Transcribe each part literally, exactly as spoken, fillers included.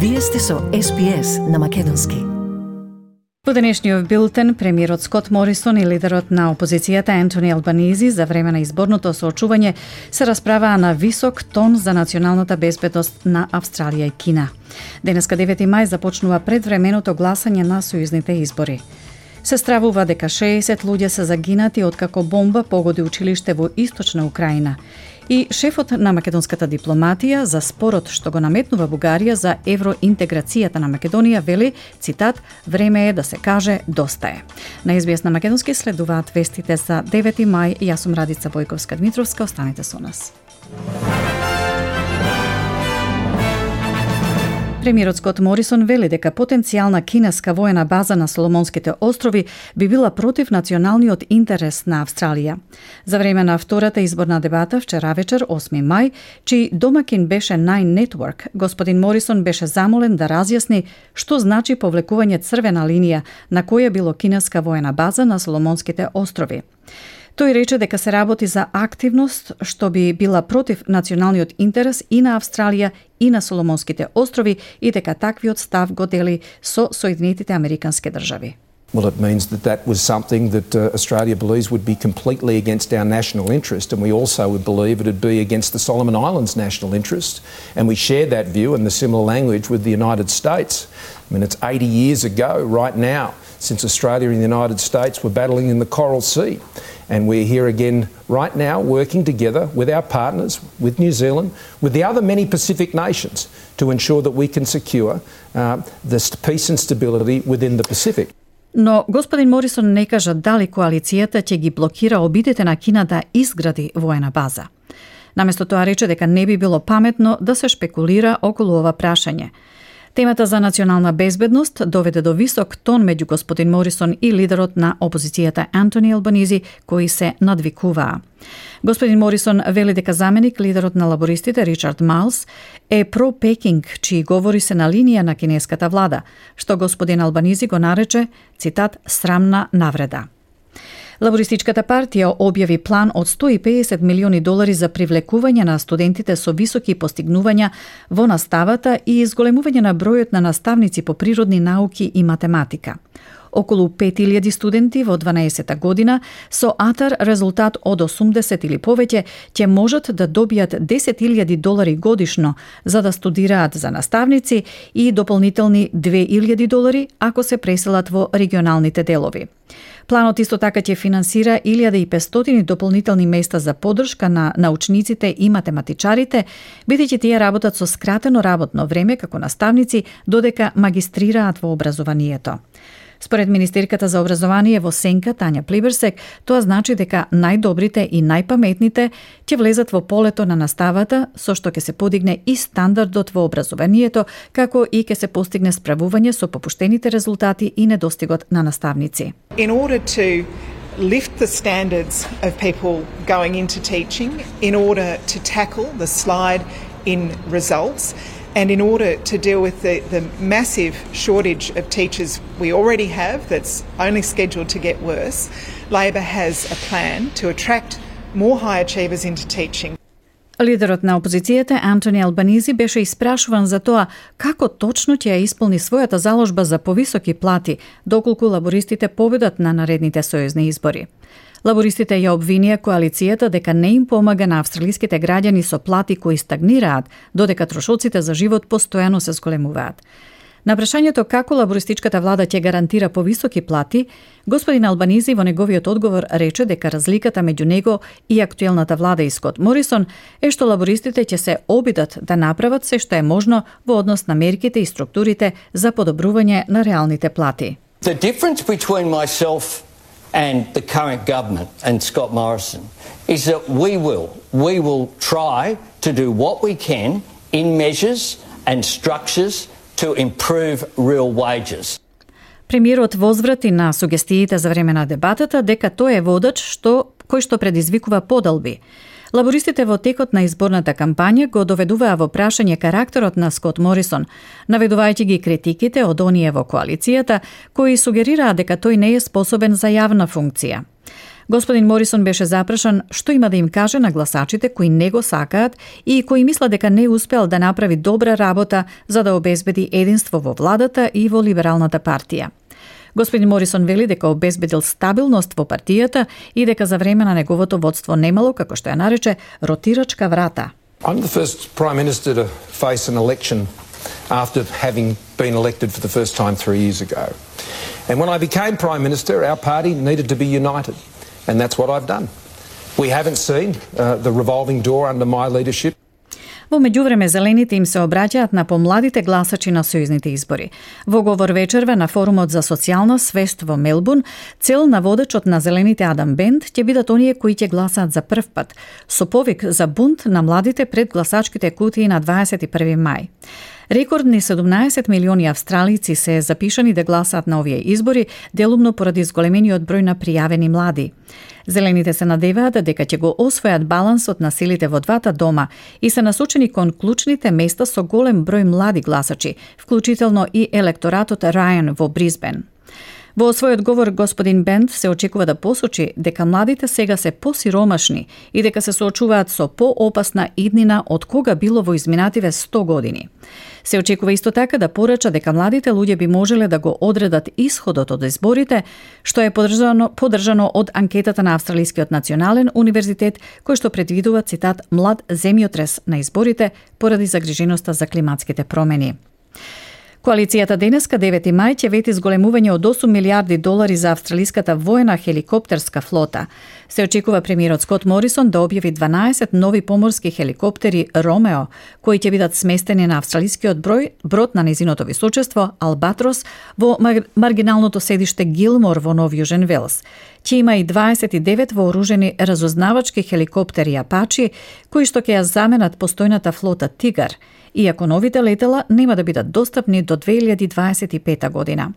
Вие сте со Ес Би Ес на македонски. По денешниот билтен, премиерот Скот Морисон и лидерот на опозицијата Антони Албанизи за време на изборното соочување се расправаа на висок тон за националната безбедност на Австралија и Кина. Денеска девети мај започнува предвременото гласање на сојузните избори. Се стравува дека шеесет луѓе се загинати откако бомба погоди училиште во источна Украина. И шефот на македонската дипломатија за спорот што го наметнува Бугарија за евроинтеграцијата на Македонија вели, цитат, време е да се каже доста е. На Ес Би Ес на македонски следуваат вестите за девети мај. Јас сум Радица Бојковска-Дмитровска, останете со нас. Премиерот Скот Морисон вели дека потенцијална кинеска воена база на Соломонските острови би била против националниот интерес на Австралија. За време на втората изборна дебата вчера вечер, осми мај, чиј домакин беше Nine Network, господин Морисон беше замолен да разјасни што значи повлекување црвена линија на која било кинеска воена база на Соломонските острови. Тој рече дека се работи за активност што би била против националниот интерес и на Австралија и на Соломонските острови и дека таквиот став го дели со Соединетите Американски држави. Well, it means that that was something that uh, Australia believes would be completely against our national interest, and we also would believe it would be against the Solomon Islands' national interest, and we share that view and the similar language with the United States. I mean, it's eighty years ago right now since Australia and the United States were battling in the Coral Sea, and we're here again right now working together with our partners, with New Zealand, with the other many Pacific nations to ensure that we can secure uh, the peace and stability within the Pacific. Но господин Морисон не кажа дали коалицијата ќе ги блокира обидите на Кина да изгради воена база. Наместо тоа рече дека не би било паметно да се шпекулира околу ова прашање. Темата за национална безбедност доведе до висок тон меѓу господин Морисон и лидерот на опозицијата Антони Албанизи, кои се надвикуваа. Господин Морисон вели дека заменик лидерот на лабористите Ричард Майлс е про-Пекинг, чии говори се на линија на кинеската влада, што господин Албанизи го нарече, цитат, срамна навреда. Лабористичката партија објави план од сто и педесет милиони долари за привлекување на студентите со високи постигнувања во наставата и изголемување на бројот на наставници по природни науки и математика. Околу пет илјади студенти во дванаесета година со АТАР резултат од осумдесет или повеќе ќе можат да добијат десет илјади долари годишно за да студираат за наставници и дополнителни две илјади долари ако се преселат во регионалните делови. Планот исто така ќе финансира илјада и петстотини дополнителни места за поддршка на научниците и математичарите, бидејќи тие работат со скратено работно време како наставници додека магистрираат во образованието. Според министерката за образование во Сенка, Тања Плиберсек, тоа значи дека најдобрите и најпаметните ќе влезат во полето на наставата, со што ќе се подигне и стандардот во образованието, како и ќе се постигне справување со попуштените резултати и недостигот на наставници. In order to lift the standards of people going into teaching, in order to tackle the slide in results, and in order to deal with the, the massive shortage of teachers we already have that's only scheduled to get worse, Labor has a plan to attract more high achievers into teaching. Лидерот на опозицијата Антони Албанизи беше испрашуван за тоа како точно ќе ја исполни својата заложба за повисоки плати доколку лабористите победат на наредните сојузни избори. Лабористите ја обвинија коалицијата дека не им помага на австралиските граѓани со плати кои стагнираат, додека трошоците за живот постојано се зголемуваат. На прашањето како лабористичката влада ќе гарантира повисоки плати, господин Албанизи во неговиот одговор рече дека разликата меѓу него и актуелната влада и Скот Морисон е што лабористите ќе се обидат да направат се што е можно во однос на мерките и структурите за подобрување на реалните плати. The difference between myself and the current government and Scott Morrison is that we will, we will try to do what we can in measures and structures to improve real wages. Премиерот возврати на сугестиите за време на дебатата дека тој е водач што кој што предизвикува подалби. Лабористите во текот на изборната кампања го доведуваа во прашање карактерот на Скот Морисон, наведувајќи ги критиките од оние во коалицијата кои сугерираа дека тој не е способен за јавна функција. Господин Морисон беше запрашан што има да им каже на гласачите кои не го сакаат и кои мислат дека не успел да направи добра работа за да обезбеди единство во владата и во либералната партија. Господин Морисон вели дека обезбедил стабилност во партијата и дека за време на неговото водство немало, како што ја нарече, ротирачка врата. I'm the first Prime Minister to face an election after having been elected for the first time three years ago. And when I became Prime Minister, our party needed to be united. And that's what I've done. We haven't seen uh, the revolving door under my leadership. Во меѓувреме, зелените им се обраќаат на помладите гласачи на сојузните избори. Во говор вечерва на форумот за социјална свест во Мелбурн, цел на водечот на зелените Адам Бент ќе бидат оние кои ќе гласаат за прв пат, со повик за бунт на младите пред гласачките кутии на дваесет и први мај. Рекордни седумнаесет милиони австралици се запишани да гласаат на овие избори, делумно поради зголемениот број на пријавени млади. Зелените се надеваат дека ќе го освојат балансот на силите во двата дома и се насочени кон клучните места со голем број млади гласачи, вклучително и електоратот Рајан во Брисбен. Во својот говор господин Бент се очекува да посочи дека младите сега се посиромашни и дека се соочуваат со поопасна иднина од кога било во изминативе сто години. Се очекува исто така да порача дека младите луѓе би можеле да го одредат исходот од изборите, што е подржано, подржано од анкетата на Австралискиот национален универзитет, кој што предвидува, цитат, млад земјотрес на изборите поради загриженоста за климатските промени. Коалицијата денеска, девети мај, ќе вети зголемување од осум милиарди долари за австралиската воена хеликоптерска флота. Се очекува премиерот Скот Морисон да објави дванаесет нови поморски хеликоптери Ромео, кои ќе бидат сместени на австралискиот број, брод на незиното височество Албатрос во маргиналното седиште Гилмор во Нов Јужен Велс. Ќе има и дваесет и девет вооружени разузнавачки хеликоптери Апачи, кои што ќе ја заменат постојната флота Тигар, иако новите летела нема да бидат достапни до две илјади дваесет и пета година.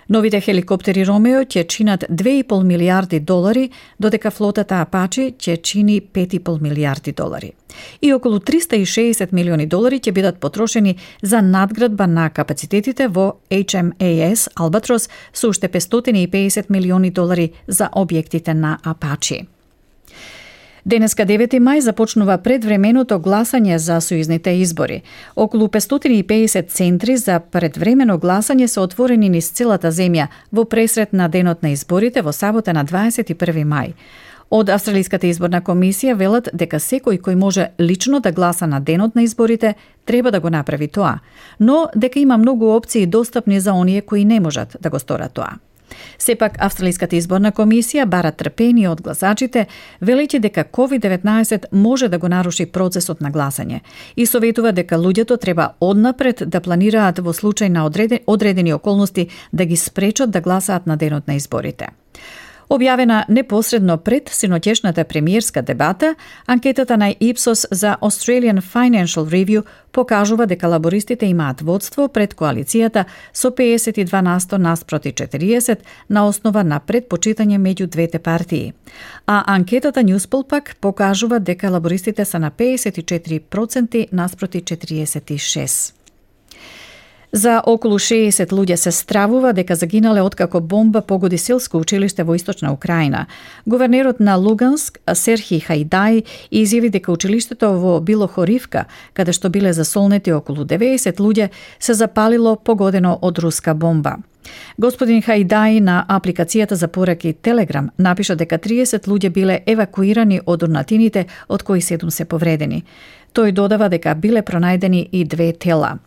Новите хеликоптери Ромео ќе чинат две и пол милијарди долари, додека флотата Апачи ќе чини пет и пол милијарди долари. И околу триста и шеесет милиони долари ќе бидат потрошени за надградба на капацитетите во Ейч Ем Ей Ес Албатрос со уште петстотини и педесет милиони долари за објектите на Апачи. Денеска, девети мај, започнува предвременото гласање за сојузните избори. Околу петстотини и педесет центри за предвремено гласање се отворени низ целата земја во пресрет на денот на изборите во сабота на дваесет и први мај. Од Австралиската изборна комисија велат дека секој кој може лично да гласа на денот на изборите треба да го направи тоа, но дека има многу опции достапни за оние кои не можат да го сторат тоа. Сепак, Австралиската изборна комисија бара трпение од гласачите, велејќи дека ковид деветнаесет може да го наруши процесот на гласање и советува дека луѓето треба однапред да планираат во случај на одредени околности да ги спречат да гласаат на денот на изборите. Објавена непосредно пред синоќешната премиерска дебата, анкетата на Ipsos за Australian Financial Review покажува дека лабористите имаат водство пред коалицијата со педесет и два насто наспроти четириесет на основа на предпочитање меѓу двете партии. А анкетата Newspoll пак покажува дека лабористите се на педесет и четири проценти наспроти четириесет и шест. За околу шеесет луѓе се стравува дека загинале откако бомба погоди селско училиште во источна Украина. Гувернерот на Луганск, Серхи Хајдај, изјави дека училиштето во Билохоривка, каде што биле засолнети околу деветдесет луѓе, се запалило погодено од руска бомба. Господин Хајдај на апликацијата за пораки Телеграм напиша дека триесет луѓе биле евакуирани од урнатините, од кои седум се повредени. Тој додава дека биле пронајдени и две тела.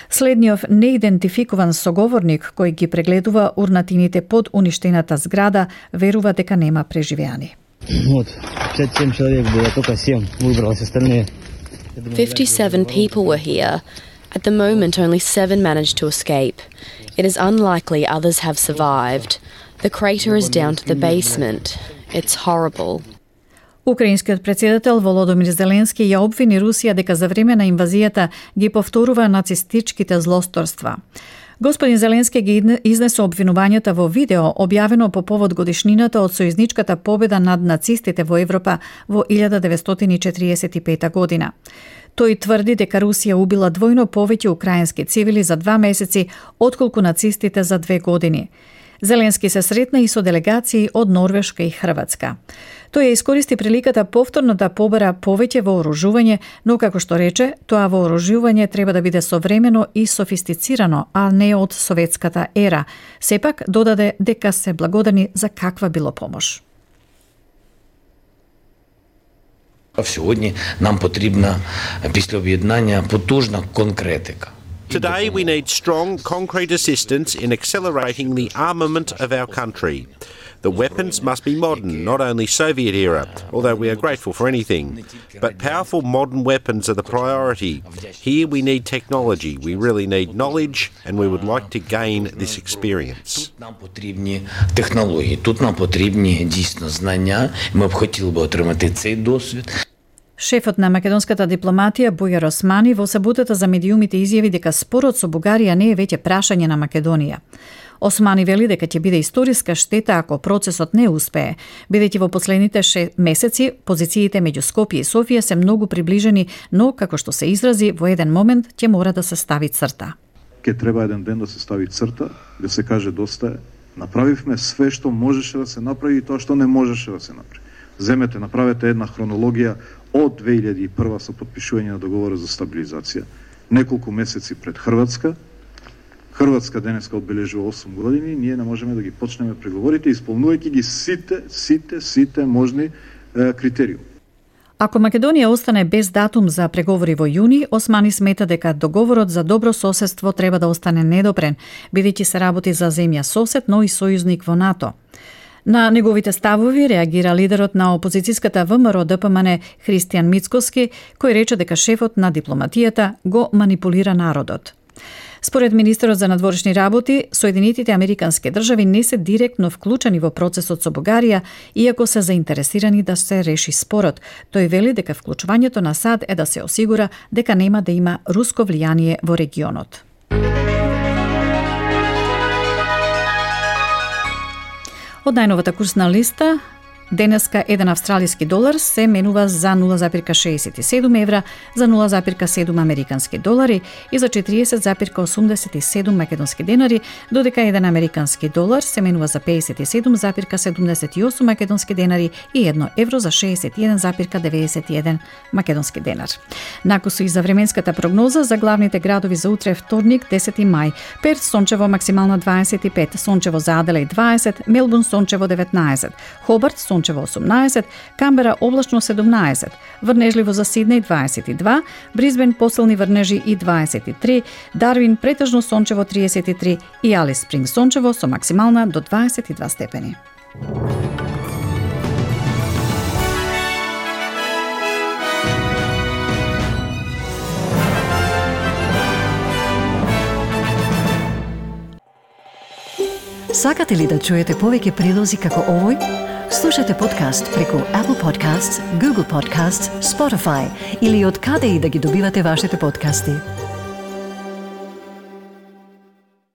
Следниот неидентификуван соговорник кој ги прегледува урнатините под уништената зграда верува дека нема преживеани. Вот, петдесет семь человек было, только семь выбралось, остальные. fifty-seven people were here. At the moment, only seven managed to escape. It is unlikely others have survived. The crater is down to the basement. It's horrible. Украинскиот председател Володомир Зеленски ја обвини Русија дека за време на инвазијата ги повторува нацистичките злосторства. Господин Зеленски ги изнесе обвинувањата во видео објавено по повод годишнината од сојузничката победа над нацистите во Европа во илјада деветстотини четириесет и пета година. Тој тврди дека Русија убила двојно повеќе украински цивили за два месеци отколку нацистите за две години. Зеленски се сретна и со делегации од Норвешка и Хрватска. Тој ја искористи приликата повторно да побера повеќе вооружување, но како што рече, тоа вооружување треба да биде современо и софистицирано, а не од советската ера. Сепак додаде дека се благодарни за каква било помош. Сьогодні нам потрібна після об'єднання потужна конкретика. Today we need strong, concrete assistance in accelerating the armament of our country. The weapons must be modern, not only Soviet era, although we are grateful for anything. But powerful modern weapons are the priority. Here we need technology, we really need knowledge, and we would like to gain this experience. Тут нам потрібні технології, тут нам потрібні дійсно знання. Ми б хотіли б отримати цей досвід. Шефот на македонската дипломатија Бујар Османи во саботата за медиумите изјави дека спорот со Бугарија не е веќе прашање на Македонија. Османи вели дека ќе биде историска штета ако процесот не успее, бидејќи во последните шест месеци позициите меѓу Скопје и Софија се многу приближени, но како што се изрази, во еден момент ќе мора да се стави црта. Ке треба еден ден да се стави црта, да се каже доста е. Направивме све што можеше да се направи и тоа што не можеше да се направи. Земете, направете една хронологија од две илјади и прва со потпишување на договорот за стабилизација. Неколку месеци пред Хрватска. Хрватска денеска одбележува осум години, ние не можеме да ги почнеме преговорите исполнувајќи ги сите, сите, сите можни е, критериуми. Ако Македонија остане без датум за преговори во јуни, Османи смета дека договорот за добро соседство треба да остане недопрен, бидејќи се работи за земја сосед, но и сојузник во НАТО. На неговите ставови реагира лидерот на опозицијската ВМРО Д П М Н Христијан Мицкоски, кој рече дека шефот на дипломатијата го манипулира народот. Според министерот за надворешни работи, Соединетите Американски држави не се директно вклучени во процесот со Бугарија, иако се заинтересирани да се реши спорот. Тој вели дека вклучувањето на САД е да се осигура дека нема да има руско влијание во регионот. Од најновата курсна листа, денеска еден австралиски долар се менува за нула запирка шеесет и седум евра, за нула запирка седум американски долари и за четириесет запирка осумдесет и седум македонски денари, додека еден американски долар се менува за пеесет и седум запирка седумдесет и осум македонски денари и едно евро за шеесет и еден запирка деветдесет и еден македонски денар. Накусу и за временската прогноза за главните градови за утре вторник, десети мај. Перт сончево максимално дваесет и пет, сончево за Аделаид дваесет, Мелбурн сончево деветнаесет, Хобарт сончево осумнаесет, Камбера облачно седумнаесет, врнежливо за Сиднеј дваесет и два, Брисбен посилни врнежи и дваесет и три, Дарвин претежно сончево триесет и три и Алис Спринг сончево со максимална до дваесет и два степени. Сакате ли да чуете повеќе прилози како овој? Слушате подкаст преку Apple Podcasts, Google Podcasts, Spotify или од каде и да ги добивате вашите подкасти.